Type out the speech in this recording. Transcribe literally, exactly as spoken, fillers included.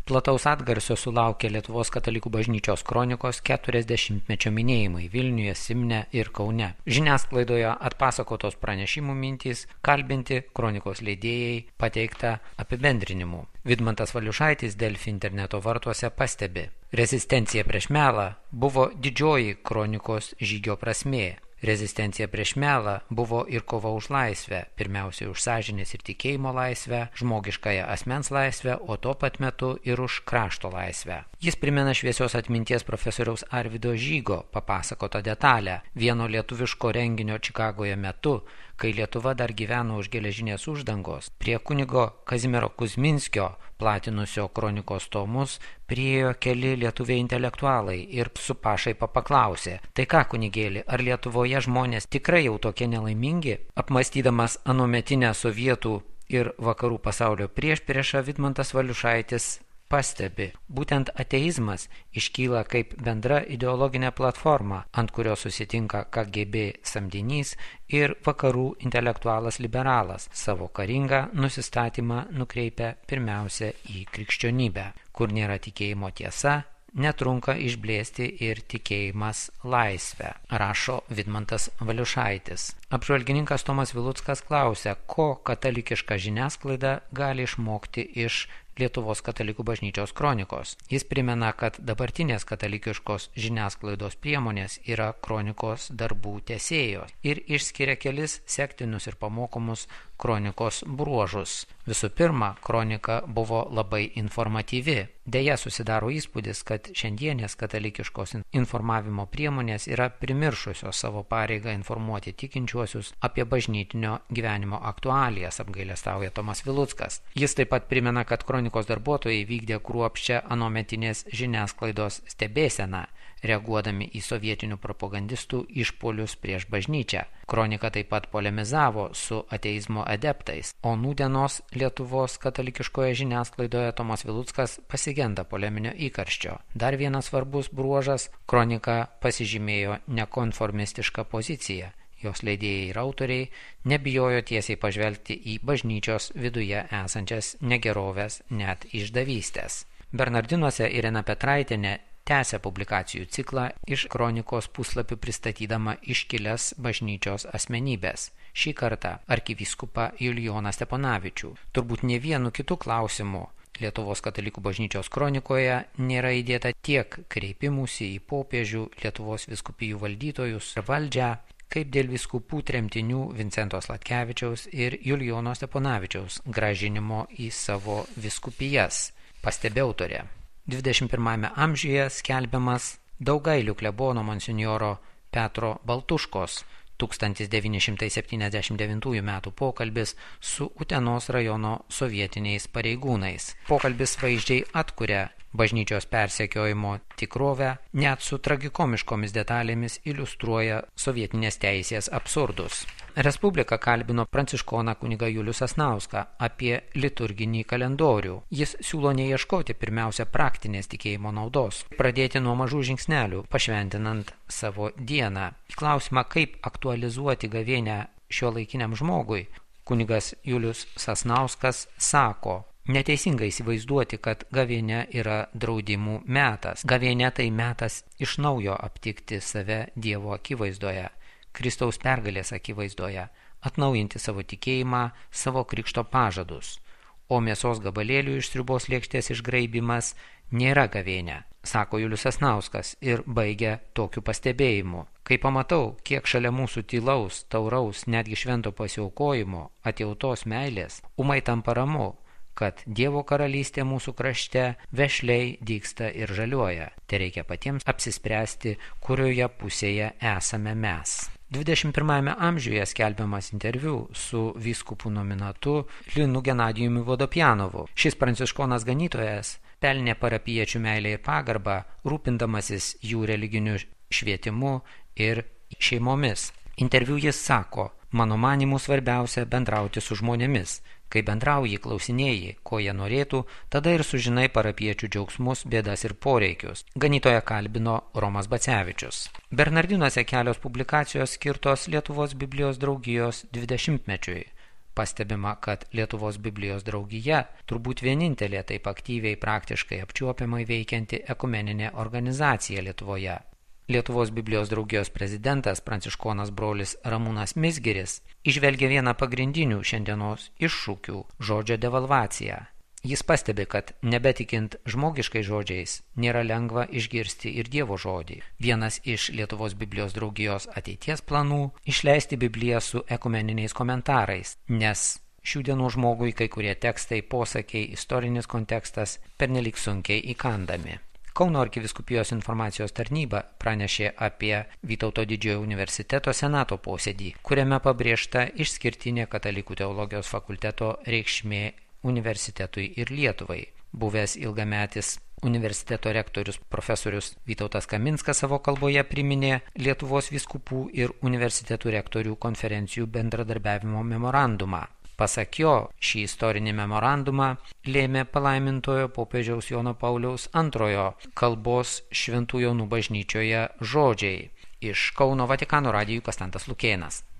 Plataus atgarsio sulaukė Lietuvos katalikų bažnyčios kronikos keturiasdešimtmečio minėjimai Vilniuje, Simne ir Kaune. Žiniasklaidoje atpasakotos pranešimų mintys, kalbinti kronikos leidėjai, pateikta apibendrinimų. Vidmantas Valiušaitis Delfi interneto vartuose pastebi: rezistencija prieš melą buvo didžioji kronikos žygio prasmė. Rezistencija prieš melą buvo ir kova už laisvę, pirmiausiai už sąžinės ir tikėjimo laisvę, žmogiškąją asmens laisvę, o tuo pat metu ir už krašto laisvę. Jis primena šviesios atminties profesoriaus Arvydo Žygo papasakotą detalę vieno lietuviško renginio Čikagoje metu, kai Lietuva dar gyveno už geležinės uždangos. Prie kunigo Kazimiero Kuzminskio platinusio kronikos tomus priėjo keli lietuviai intelektualai ir su pašaipa paklausė: tai ką, kunigėli, ar Lietuvoje žmonės tikrai jau tokie nelaimingi? Apmąstydamas anuometinę sovietų ir vakarų pasaulio priešpriešą, Vidmantas Valiušaitis pastebi: būtent ateizmas iškyla kaip bendra ideologinė platforma, ant kurios susitinka K G B samdinys ir vakarų intelektualas liberalas, savo karingą nusistatymą nukreipia pirmiausia į krikščionybę. Kur nėra tikėjimo tiesa, netrunka išblėsti ir tikėjimas laisvę, rašo Vidmantas Valiušaitis. Apžvalgininkas Tomas Viluckas klausia, ko katalikiška žiniasklaida gali išmokti iš Lietuvos katalikų bažnyčios kronikos. Jis primena, kad dabartinės katalikiškos žiniasklaidos priemonės yra kronikos darbų tęsėjos ir išskiria kelis sektinus ir pamokomus kronikos bruožus. Visų pirma, kronika buvo labai informatyvi. Deja, susidaro įspūdis, kad šiandienės katalikiškos informavimo priemonės yra primiršusios savo pareigą informuoti tikinčiuosius apie bažnytinio gyvenimo aktualijas, apgailestauja Tomas Viluckas. Jis taip pat primena, kad kronikos darbuotojai vykdė kruopščią anuometinės žiniasklaidos stebėseną, reaguodami į sovietinių propagandistų išpuolius prieš bažnyčią. Kronika taip pat polemizavo su ateizmo adeptais, o nūdienos Lietuvos katalikiškoje žiniasklaidoje Tomas Viluckas pasigenda poleminio įkarščio. Dar vienas svarbus bruožas – kronika pasižymėjo nekonformistišką poziciją. Jos leidėjai ir autoriai nebijojo tiesiai pažvelgti į bažnyčios viduje esančias negeroves, net išdavystės. Bernardinuose Irena Petraitienė tęsia publikacijų ciklą iš kronikos puslapių pristatydama iškilias bažnyčios asmenybės. Šį kartą arkivyskupą Julijoną Steponavičių. Turbūt ne vienu kitu klausimu Lietuvos katalikų bažnyčios kronikoje nėra įdėta tiek kreipimųsi į popiežių, Lietuvos vyskupijų valdytojus ir valdžią, kaip dėl vyskupų tremtinių Vincento Sladkevičiaus ir Julijono Steponavičiaus grąžinimo į savo vyskupijas, pastebė autorė. dvidešimt pirmajame amžiuje skelbiamas Daugailių klebono monsinjoro Petro Baltuškos tūkstantis devyni šimtai septyniasdešimt devintųjų metų pokalbis su Utenos rajono sovietiniais pareigūnais. Pokalbis vaizdžiai atkuria bažnyčios persekiojimo tikrovę, net su tragikomiškomis detalėmis iliustruoja sovietinės teisės absurdus. Respublika kalbino pranciškoną kunigą Julių Sasnauską apie liturginį kalendorių. Jis siūlo neieškoti pirmiausia praktinės tikėjimo naudos, pradėti nuo mažų žingsnelių, pašventinant savo dieną. Į klausimą, kaip aktualizuoti gavėnią šiuolaikiniam žmogui, kunigas Julius Sasnauskas sako: neteisinga įsivaizduoti, kad gavėnia yra draudimų metas. Gavėnia tai metas iš naujo aptikti save Dievo akivaizdoje, Kristaus pergalės akivaizdoje, atnaujinti savo tikėjimą, savo krikšto pažadus. O mėsos gabalėlių iš sriubos lėkštės išgraibimas nėra gavėnia, sako Julius Sasnauskas ir baigia tokiu pastebėjimu. Kai pamatau, kiek šalia mūsų tylaus, tauraus, netgi švento pasiaukojimo, atjautos meilės, ūmai tampa ramu, kad Dievo karalystė mūsų krašte vešliai dygsta ir žaliuoja. Tai reikia patiems apsispręsti, kurioje pusėje esame mes. dvidešimt pirmajame amžiuje skelbiamas interviu su vyskupu nominatu Linu Genadijumi Vodopjanovu. Šis pranciškonas ganytojas pelnė parapiečių meilę ir pagarbą, rūpindamasis jų religiniu švietimu ir šeimomis. Interviu jis sako: mano manimu svarbiausia bendrauti su žmonėmis. Kai bendrauji, klausinėji, ko jie norėtų, tada ir sužinai parapiečių džiaugsmus, bėdas ir poreikius. Ganytoją kalbino Romas Bacevičius. Bernardinuose kelios publikacijos skirtos Lietuvos Biblijos draugijos dvidešimtmečiui. Pastebima, kad Lietuvos Biblijos draugija turbūt vienintelė taip aktyviai praktiškai apčiuopiamai veikianti ekumeninė organizacija Lietuvoje. Lietuvos Biblijos draugijos prezidentas pranciškonas brolis Ramūnas Mizgiris įžvelgia vieną pagrindinių šiandienos iššūkių – žodžio devalvaciją. Jis pastebi, kad nebetikint žmogiškai žodžiais nėra lengva išgirsti ir Dievo žodį. Vienas iš Lietuvos Biblijos draugijos ateities planų – išleisti Bibliją su ekumeniniais komentarais, nes šių dienų žmogui kai kurie tekstai, posakiai, istorinis kontekstas pernelyg sunkiai įkandami. Kauno arkivyskupijos informacijos tarnyba pranešė apie Vytauto Didžiojo universiteto senato posėdį, kuriame pabrėžta išskirtinė katalikų teologijos fakulteto reikšmė universitetui ir Lietuvai. Buvęs ilgametis universiteto rektorius profesorius Vytautas Kaminskas savo kalboje priminė Lietuvos vyskupų ir universitetų rektorių konferencijų bendradarbiavimo memorandumą. Pasak jo, šį istorinį memorandumą lėmė palaimintojo popiežiaus Jono Pauliaus antrojo kalbos Šventų Jonų bažnyčioje žodžiai. Iš Kauno Vatikano radijui Konstantas Lukėnas.